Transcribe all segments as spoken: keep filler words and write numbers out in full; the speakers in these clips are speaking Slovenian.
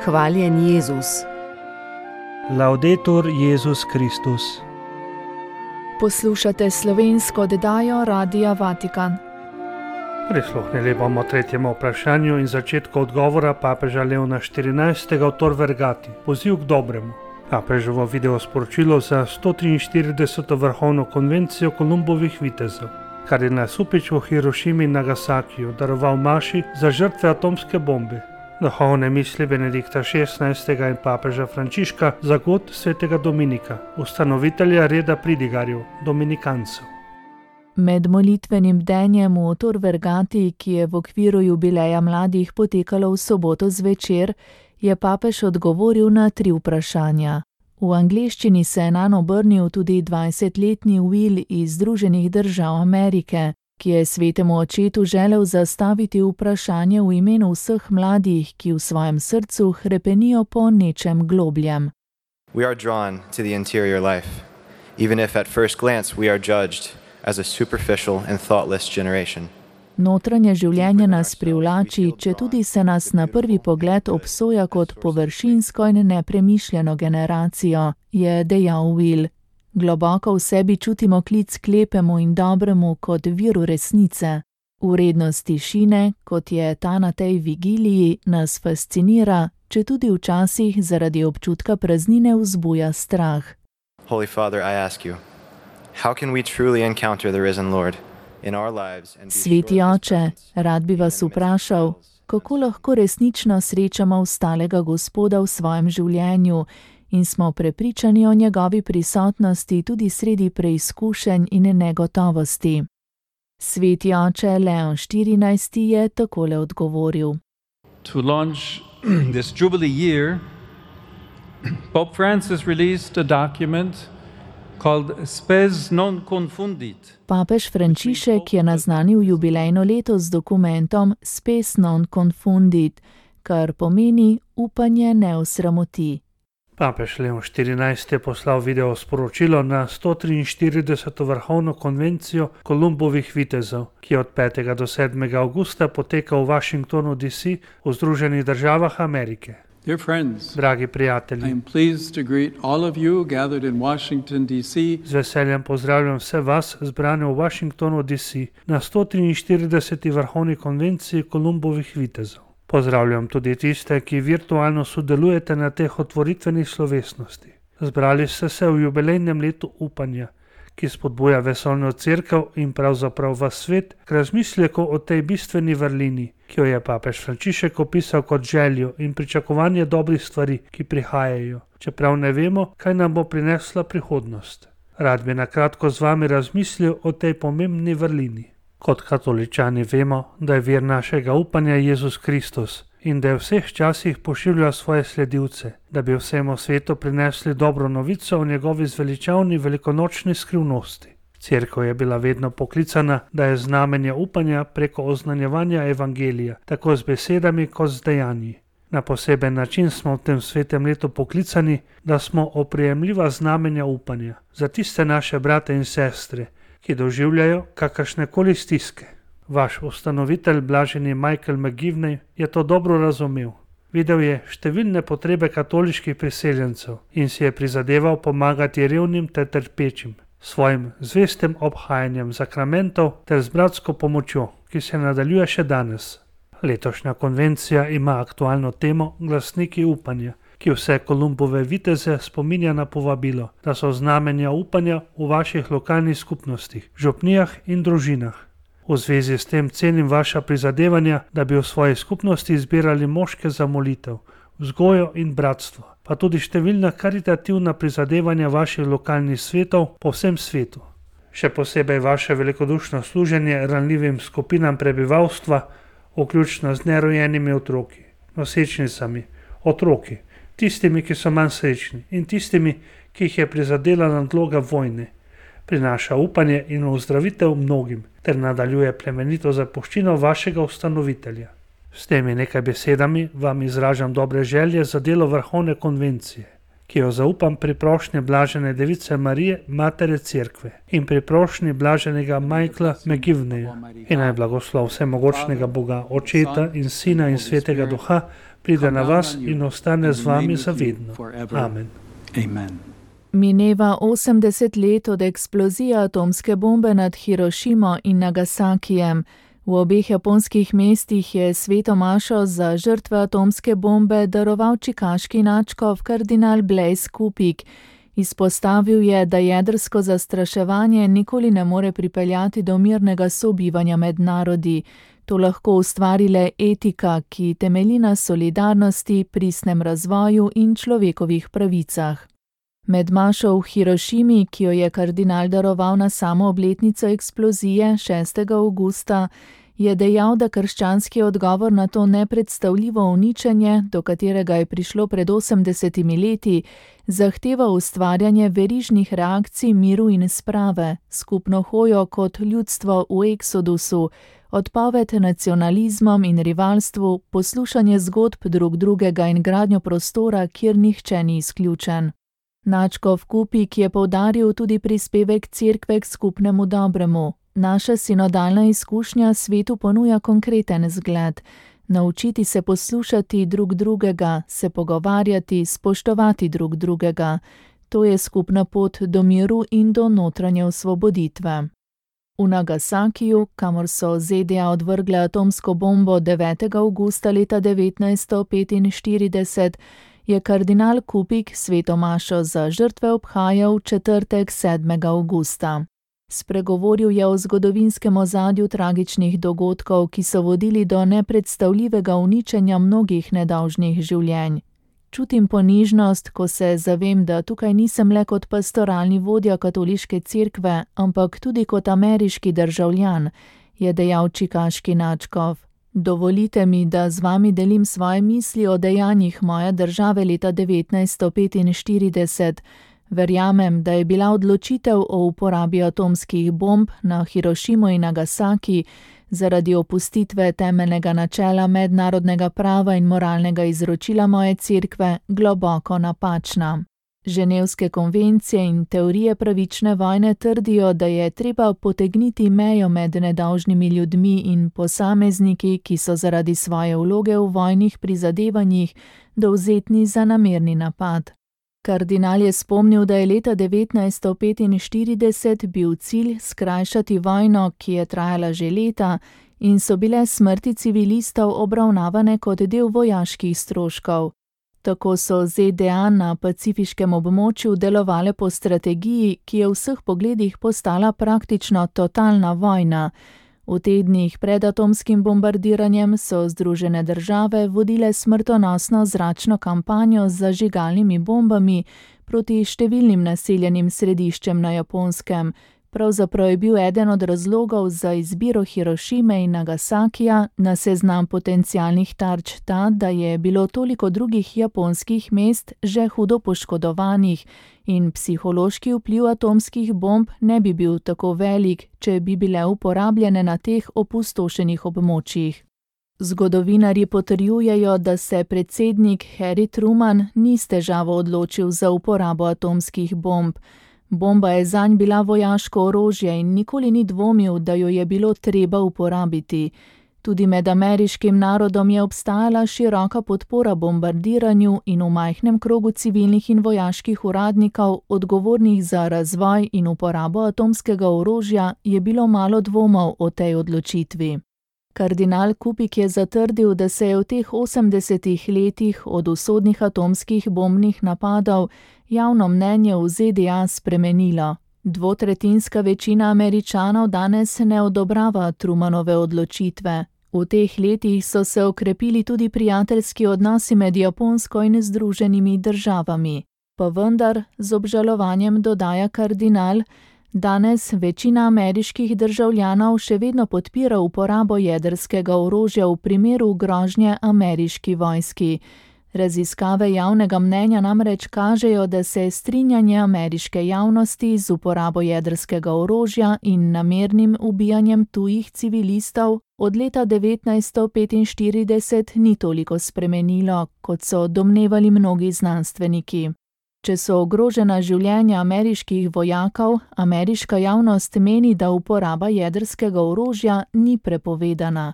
Hvaljen Jezus. Laudetur Jezus Kristus. Poslušate slovensko oddajo Radia Vatikan. Prisluhnili bomo tretjemu vprašanju in začetku odgovora papeža Leona štirinajstega o Tor Vergati, poziv k dobremu. Papeževo video sporočilo za sto triinštirideseto vrhovno konvencijo Kolumbovih vitezov. Kardinal Supič v Hirošimi in Nagasakiju daroval maši za žrtve atomske bombe. Duhovne misli Benedikta šestnajstega in papeža Frančiška za god svetega Dominika, ustanovitelja reda pridigarjev, dominikancev. Med molitvenim bdenjem v Tor Vergati, ki je v okviru jubileja mladih potekalo v soboto zvečer, je papež odgovoril na tri vprašanja. V angleščini se je nanj obrnil tudi dvajsetletni Will iz Združenih držav Amerike, ki je svetemu očetu želel zastaviti vprašanje v imenu vseh mladih, ki v svojem srcu hrepenijo po nečem globljem. We are drawn to the interior life, even if at first glance we are judged as a superficial and thoughtless generation. Notranje življenje nas privlači, četudi se nas na prvi pogled obsoja kot površinsko in nepremišljeno generacijo, je dejal Will. Globoko v sebi čutimo klic k lepemu in dobremu kot viru resnice. Vrednost tišine, kot je ta na tej vigiliji, nas fascinira, četudi včasih zaradi občutka praznine vzbuja strah. Holy Father, I ask you, how can we truly encounter the risen Lord in our lives and be Sveti sure of His oče, presence rad bi vas vprašal, kako lahko resnično srečamo vstalega Gospoda v svojem življenju in smo prepričani o njegovi prisotnosti tudi sredi preizkušenj in negotovosti. Sveti oče Leon štirinajsti je takole odgovoril. To launch this Jubilee year, Pope Francis released a document called Spes non confundit. Papež Frančišek je naznanil jubilejno leto z dokumentom Spes non confundit, kar pomeni upanje ne osramoti. Papež Leon štirinajsti je poslal video sporočilo na sto triinštirideseto vrhovno konvencijo Kolumbovih vitezov, ki je od petega do sedmega avgusta poteka v Washingtonu D C v Združenih državah Amerike. Dear friends, Dragi I prijatelji, am pleased to greet all of you gathered in Washington, D C z veseljem pozdravljam vse vas zbrane v Washingtonu D C na sto triinštirideseti vrhovni konvenciji Kolumbovih vitezov. Pozdravljam tudi tiste, ki virtualno sodelujete na teh otvoritvenih slovesnosti. Zbrali ste se v jubilejnem letu upanja, ki spodbuja vesoljno cerkev in pravzaprav vas svet k razmisleku o tej bistveni vrlini, ki jo je papež Frančišek opisal kot željo in pričakovanje dobrih stvari, ki prihajajo, čeprav ne vemo, kaj nam bo prinesla prihodnost. Rad bi na kratko z vami razmislil o tej pomembni vrlini. Kot katoličani vemo, da je vir našega upanja Jezus Kristus in da je v vseh časih pošiljal svoje sledilce, da bi vsemu svetu prinesli dobro novico o njegovi zveličavni velikonočni skrivnosti. Cerkev je bila vedno poklicana, da je znamenje upanja preko oznanjevanja evangelija, tako z besedami kot z dejanji. Na poseben način smo v tem svetem letu poklicani, da smo oprijemljiva znamenja upanja za tiste naše brate in sestre, ki doživljajo kakršnekoli stiske. Vaš ustanovitelj, blaženi Michael McGivney, je to dobro razumel. Videl je številne potrebe katoliških priseljencev in si je prizadeval pomagati revnim ter trpečim, svojim zvestem obhajanjem sakramentov ter z bratsko pomočjo, ki se nadaljuje še danes. Letošnja konvencija ima aktualno temo Glasniki upanja, ki vse Kolumbove viteze spominja na povabilo, da so znamenja upanja v vaših lokalnih skupnostih, župnijah in družinah. V zvezi s tem cenim vaša prizadevanja, da bi v svoji skupnosti izbirali moške za molitev, vzgojo in bratstvo, pa tudi številna karitativna prizadevanja vaših lokalnih svetov po vsem svetu. Še posebej vaše velikodušno služenje ranljivim skupinam prebivalstva, vključno z nerojenimi otroki, nosečnicami, otroki, tistimi, ki so manj srečni in tistimi, ki jih je prizadela nadloga vojne, prinaša upanje in ozdravitev mnogim ter nadaljuje plemenito zapuščino vašega ustanovitelja. S temi nekaj besedami vam izražam dobre želje za delo vrhovne konvencije, ki jo zaupam pri prošnji blažene device Marije, Matere Cerkve, in pri prošnji blaženega Michaela McGivneya. In naj blagoslov vsemogočnega Boga, Očeta in Sina in Svetega Duha, pride na vas in ostane z vami zavedno. Amen. Amen. Mineva osemdeset let od eksplozije atomske bombe nad Hirošimo in Nagasakijem. V obeh japonskih mestih je sveto mašo za žrtve atomske bombe daroval čikaški nadškof kardinal Blaise Kupik. Izpostavil je, da jedrsko zastraševanje nikoli ne more pripeljati do mirnega sobivanja med narodi. To lahko ustvari le etika, ki temelji na solidarnosti, pristnem razvoju in človekovih pravicah. Med mašo v Hirošimi, ki jo je kardinal daroval na samo obletnico eksplozije šestega avgusta, je dejal, da krščanski odgovor na to nepredstavljivo uničenje, do katerega je prišlo pred osemdesetimi leti, zahteva ustvarjanje verižnih reakcij miru in sprave, skupno hojo kot ljudstvo v eksodusu, odpoved nacionalizmom in rivalstvu, poslušanje zgodb drug drugega in gradnjo prostora, kjer nihče ni izključen. Nadškof Kupik je poudaril tudi prispevek Cerkve k skupnemu dobremu. Naša sinodalna izkušnja svetu ponuja konkreten zgled. Naučiti se poslušati drug drugega, se pogovarjati, spoštovati drug drugega. To je skupna pot do miru in do notranje osvoboditve. V Nagasakiju, kamor so Z D A odvrgle atomsko bombo devetega avgusta leta devetnajststo petinštirideset, je kardinal Kupik sveto mašo za žrtve obhajal v četrtek sedmega avgusta. Spregovoril je o zgodovinskem ozadju tragičnih dogodkov, ki so vodili do nepredstavljivega uničenja mnogih nedolžnih življenj. Čutim ponižnost, ko se zavem, da tukaj nisem le kot pastoralni vodja katoliške cerkve, ampak tudi kot ameriški državljan, je dejal čikaški nadškof. Dovolite mi, da z vami delim svoje misli o dejanjih moje države leta devetnajststo petinštirideset. Verjamem, da je bila odločitev o uporabi atomskih bomb na Hirošimo in Nagasaki zaradi opustitve temeljnega načela mednarodnega prava in moralnega izročila moje cerkve globoko napačna. Ženevske konvencije in teorije pravične vojne trdijo, da je treba potegniti mejo med nedolžnimi ljudmi in posamezniki, ki so zaradi svoje vloge v vojnih prizadevanjih dovzetni za namerni napad. Kardinal je spomnil, da je leta devetnajststo petinštirideset bil cilj skrajšati vojno, ki je trajala že leta, in so bile smrti civilistov obravnavane kot del vojaških stroškov. Tako so Z D A na pacifiškem območju delovale po strategiji, ki je v vseh pogledih postala praktično totalna vojna. V tednih pred atomskim bombardiranjem so Združene države vodile smrtonosno zračno kampanjo z zažigalnimi bombami proti številnim naseljenim središčem na Japonskem. Pravzaprav je bil eden od razlogov za izbiro Hirošime in Nagasakija na seznam potencialnih tarč ta, da je bilo toliko drugih japonskih mest že hudo poškodovanih in psihološki vpliv atomskih bomb ne bi bil tako velik, če bi bile uporabljene na teh opustošenih območjih. Zgodovinarji potrjujejo, da se predsednik Harry Truman ni s težavo odločil za uporabo atomskih bomb. Bomba je zanj bila vojaško orožje in nikoli ni dvomil, da jo je bilo treba uporabiti. Tudi med ameriškim narodom je obstajala široka podpora bombardiranju in v majhnem krogu civilnih in vojaških uradnikov, odgovornih za razvoj in uporabo atomskega orožja, je bilo malo dvomov o tej odločitvi. Kardinal Kupik je zatrdil, da se je v teh osemdesetih letih od usodnih atomskih bombnih napadov javno mnenje v Z D A spremenilo. Dvotretjinska večina Američanov danes ne odobrava Trumanove odločitve. V teh letih so se okrepili tudi prijateljski odnosi med Japonsko in Združenimi državami. Pa vendar, z obžalovanjem dodaja kardinal, danes večina ameriških državljanov še vedno podpira uporabo jedrskega orožja v primeru grožnje ameriški vojski. Raziskave javnega mnenja namreč kažejo, da se strinjanje ameriške javnosti z uporabo jedrskega orožja in namernim ubijanjem tujih civilistov od leta devetnajststo petinštirideset ni toliko spremenilo, kot so domnevali mnogi znanstveniki. Če so ogrožena življenja ameriških vojakov, ameriška javnost meni, da uporaba jedrskega orožja ni prepovedana.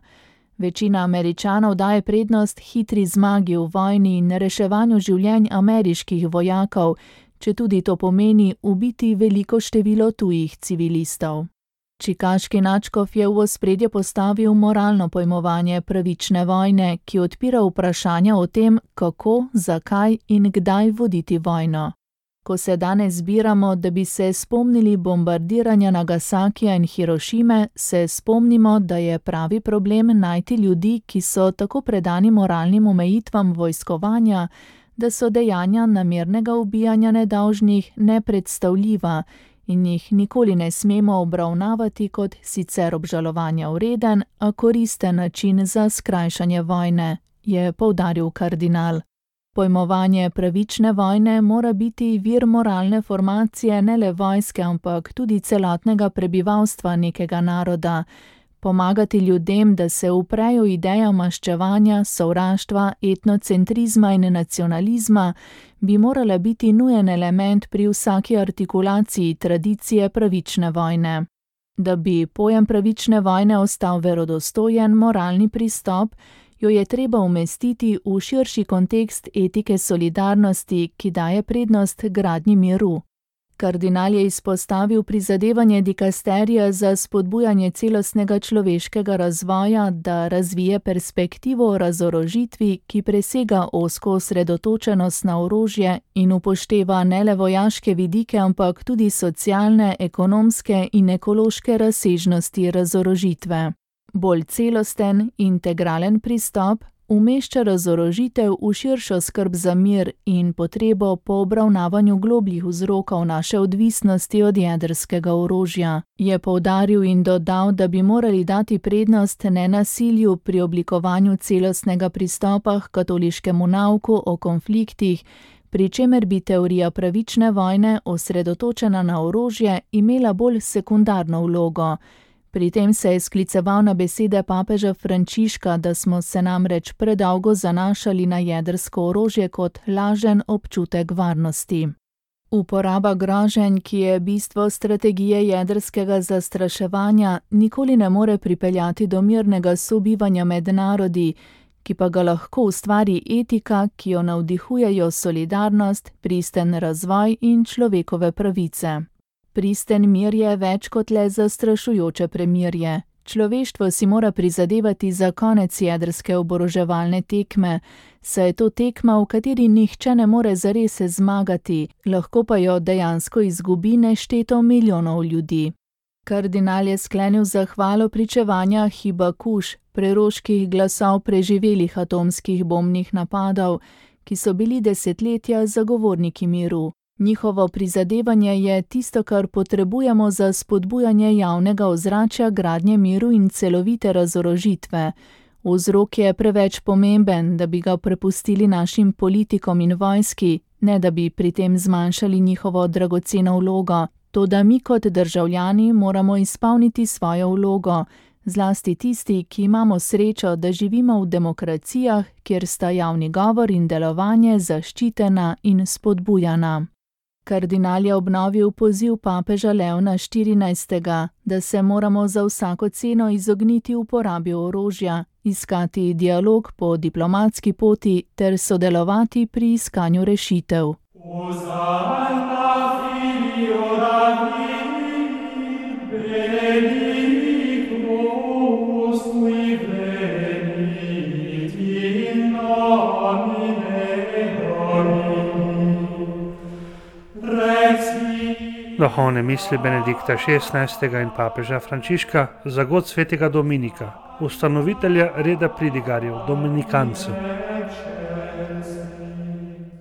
Večina Američanov daje prednost hitri zmagi v vojni in reševanju življenj ameriških vojakov, četudi to pomeni ubiti veliko število tujih civilistov. Čikaški nadškof je v ospredje postavil moralno pojmovanje pravične vojne, ki odpira vprašanja o tem, kako, zakaj in kdaj voditi vojno. Ko se danes zbiramo, da bi se spomnili bombardiranja Nagasakija in Hirošime, se spomnimo, da je pravi problem najti ljudi, ki so tako predani moralnim omejitvam vojskovanja, da so dejanja namernega ubijanja nedolžnih nepredstavljiva in jih nikoli ne smemo obravnavati kot sicer obžalovanja vreden, a koristen način za skrajšanje vojne, je poudaril kardinal. Pojmovanje pravične vojne mora biti vir moralne formacije ne le vojske, ampak tudi celotnega prebivalstva nekega naroda. Pomagati ljudem, da se uprejo ideja maščevanja, sovraštva, etnocentrizma in nacionalizma, bi morala biti nujen element pri vsaki artikulaciji tradicije pravične vojne. Da bi pojem pravične vojne ostal verodostojen moralni pristop, jo je treba umestiti v širši kontekst etike solidarnosti, ki daje prednost gradnji miru. Kardinal je izpostavil prizadevanje dikasterija za spodbujanje celostnega človeškega razvoja, da razvije perspektivo o razorožitvi, ki presega ozko osredotočenost na orožje in upošteva ne le vojaške vidike, ampak tudi socialne, ekonomske in ekološke razsežnosti razorožitve. Bolj celosten, integralen pristop umešča razorožitev v širšo skrb za mir in potrebo po obravnavanju globljih vzrokov naše odvisnosti od jedrskega orožja. Je poudaril in dodal, da bi morali dati prednost nenasilju pri oblikovanju celostnega pristopa k katoliškemu nauku o konfliktih, pri čemer bi teorija pravične vojne, osredotočena na orožje, imela bolj sekundarno vlogo. Pri tem se je skliceval na besede papeža Frančiška, da smo se namreč predolgo zanašali na jedrsko orožje kot lažen občutek varnosti. Uporaba groženj, ki je bistvo strategije jedrskega zastraševanja, nikoli ne more pripeljati do mirnega sobivanja med narodi, ki pa ga lahko ustvari etika, ki jo navdihujejo solidarnost, pristen razvoj in človekove pravice. Pristen mir je več kot le zastrašujoče premirje. Človeštvo si mora prizadevati za konec jedrske oboroževalne tekme, saj je to tekma, v kateri nihče ne more zares zmagati, lahko pa jo dejansko izgubi nešteto milijonov ljudi. Kardinal je sklenil zahvalo pričevanja Hibakuš, preroških glasov preživelih atomskih bombnih napadov, ki so bili desetletja zagovorniki miru. Njihovo prizadevanje je tisto, kar potrebujemo za spodbujanje javnega ozračja gradnje miru in celovite razorožitve. Vzrok je preveč pomemben, da bi ga prepustili našim politikom in vojski, ne da bi pri tem zmanjšali njihovo dragoceno vlogo. Toda mi kot državljani moramo izpolniti svojo vlogo, zlasti tisti, ki imamo srečo, da živimo v demokracijah, kjer sta javni govor in delovanje zaščitena in spodbujana. Kardinal je obnovil poziv papeža Leona štirinajstega, da se moramo za vsako ceno izogniti uporabi orožja, iskati dialog po diplomatski poti ter sodelovati pri iskanju rešitev. Duhovne misli Benedikta šestnajstega in papeža Frančiška za god svetega Dominika, ustanovitelja reda pridigarjev, dominikancev.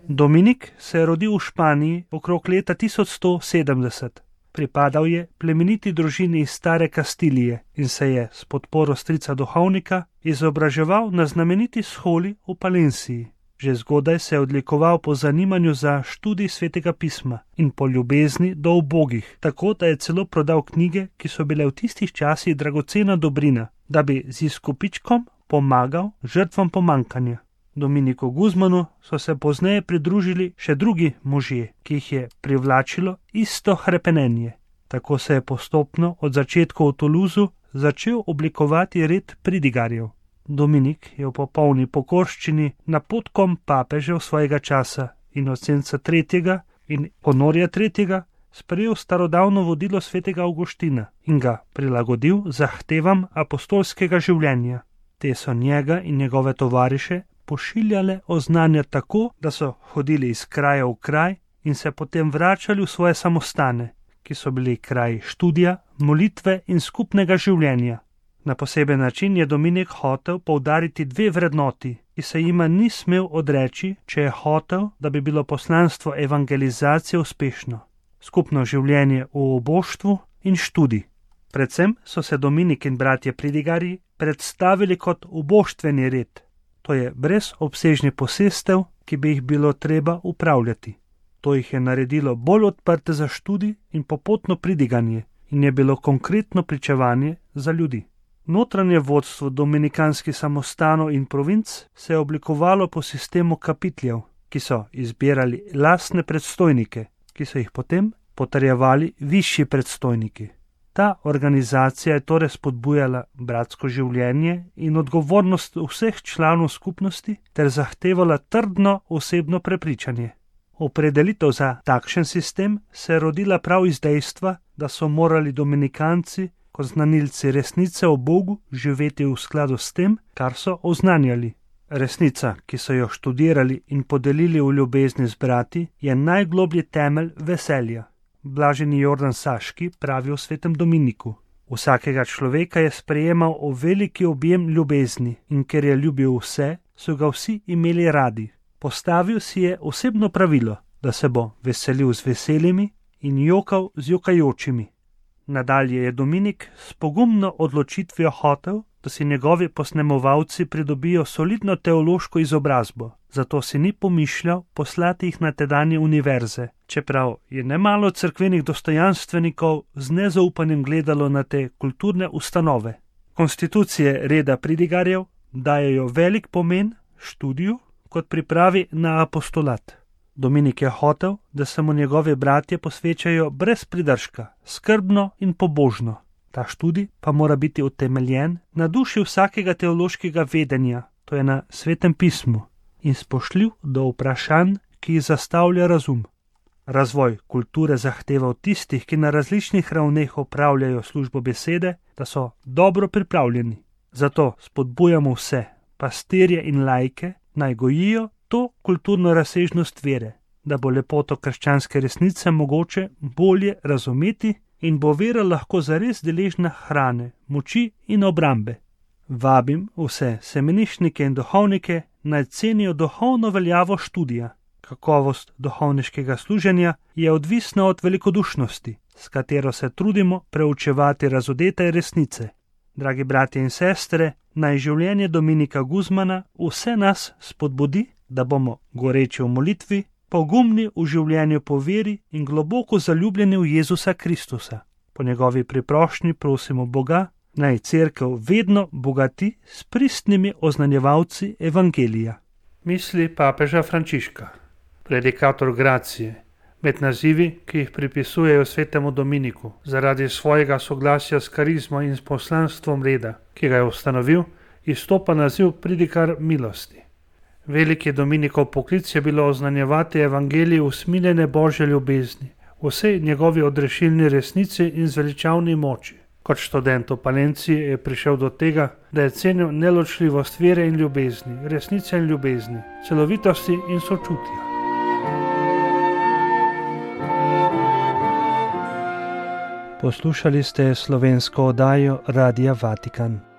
Dominik se je rodil v Španiji okrog leta tisoč sto sedemdeset. Pripadal je plemeniti družini iz stare Kastilije in se je s podporo strica duhovnika izobraževal na znameniti sholi v Palenciji. Že zgodaj se je odlikoval po zanimanju za študij svetega pisma in po ljubezni do ubogih, tako da je celo prodal knjige, ki so bile v tistih časih dragocena dobrina, da bi z izkupičkom pomagal žrtvam pomankanja. Dominiku Guzmanu so se pozneje pridružili še drugi možje, ki jih je privlačilo isto hrepenenje. Tako se je postopno od začetka v Toulouseu začel oblikovati red pridigarjev. Dominik je v popolni pokorščini napotkom papežev svojega časa Inocenca tretjega in Honorija tretjega sprejel starodavno vodilo svetega Avguština in ga prilagodil zahtevam apostolskega življenja. Te so njega in njegove tovariše pošiljale oznanja tako, da so hodili iz kraja v kraj in se potem vračali v svoje samostane, ki so bili kraji študija, molitve in skupnega življenja. Na poseben način je Dominik hotel poudariti dve vrednoti, ki se jima ni smel odreči, če je hotel, da bi bilo poslanstvo evangelizacije uspešno. Skupno življenje v oboštvu in študij. Predvsem so se Dominik in bratje pridigarji predstavili kot oboštveni red, to je brez obsežnih posestev, ki bi jih bilo treba upravljati. To jih je naredilo bolj odprte za študij in popotno pridiganje in je bilo konkretno pričevanje za ljudi. Notranje vodstvo dominikanskih samostanov in provinc se je oblikovalo po sistemu kapitljev, ki so izbirali lastne predstojnike, ki so jih potem potrjevali višji predstojniki. Ta organizacija je torej spodbujala bratsko življenje in odgovornost vseh članov skupnosti ter zahtevala trdno osebno prepričanje. Opredelitev za takšen sistem se je rodila prav iz dejstva, da so morali dominikanci kot znanilci resnice o Bogu živeti v skladu s tem, kar so oznanjali. Resnica, ki so jo študirali in podelili v ljubezni z brati, je najgloblji temelj veselja. Blaženi Jordan Saški pravi o svetem Dominiku. Vsakega človeka je sprejemal v veliki objem ljubezni in ker je ljubil vse, so ga vsi imeli radi. Postavil si je osebno pravilo, da se bo veselil z veselimi in jokal z jokajočimi. Nadalje je Dominik s pogumno odločitvijo hotel, da si njegovi posnemovalci pridobijo solidno teološko izobrazbo, zato si ni pomišljal poslati jih na tedanje univerze, čeprav je nemalo cerkvenih dostojanstvenikov z nezaupanjem gledalo na te kulturne ustanove. Konstitucije reda pridigarjev dajejo velik pomen študiju kot pripravi na apostolat. Dominik je hotel, da se mu njegovi bratje posvečajo brez pridržka, skrbno in pobožno. Ta študij pa mora biti utemeljen na duši vsakega teološkega vedenja, to je na svetem pismu, in spoštljiv do vprašanj, ki jih zastavlja razum. Razvoj kulture zahteva od tistih, ki na različnih ravneh opravljajo službo besede, da so dobro pripravljeni. Zato spodbujamo vse, pastirje in laike, naj gojijo to kulturno razsežnost vere, da bo lepoto krščanske resnice mogoče bolje razumeti in bo vera lahko zares deležna hrane, moči in obrambe. Vabim vse semenišnike in duhovnike, naj cenijo duhovno veljavo študija. Kakovost duhovniškega služenja je odvisna od velikodušnosti, s katero se trudimo preučevati razodete resnice. Dragi bratje in sestre, naj življenje Dominika Guzmana vse nas spodbudi, da bomo goreči v molitvi, pogumni v življenju po veri in globoko zaljubljeni v Jezusa Kristusa. Po njegovi priprošnji prosimo Boga, naj cerkev vedno bogati s pristnimi oznanjevalci evangelija. Misli papeža Frančiška, predikator gracije, med nazivi, ki jih pripisujejo svetemu Dominiku, zaradi svojega soglasja s karizmo in s poslanstvom reda, ki ga je ustanovil, izstopa naziv pridikar milosti. Veliki Dominikov poklic je bilo oznanjevati evangelij usmiljene Božje ljubezni, vsej njegovi odrešilni resnici in zveličavni moči. Kot študent v Palenciji je prišel do tega, da je cenil neločljivost vere in ljubezni, resnice in ljubezni, celovitosti in sočutja. Poslušali ste slovensko oddajo Radia Vatikan.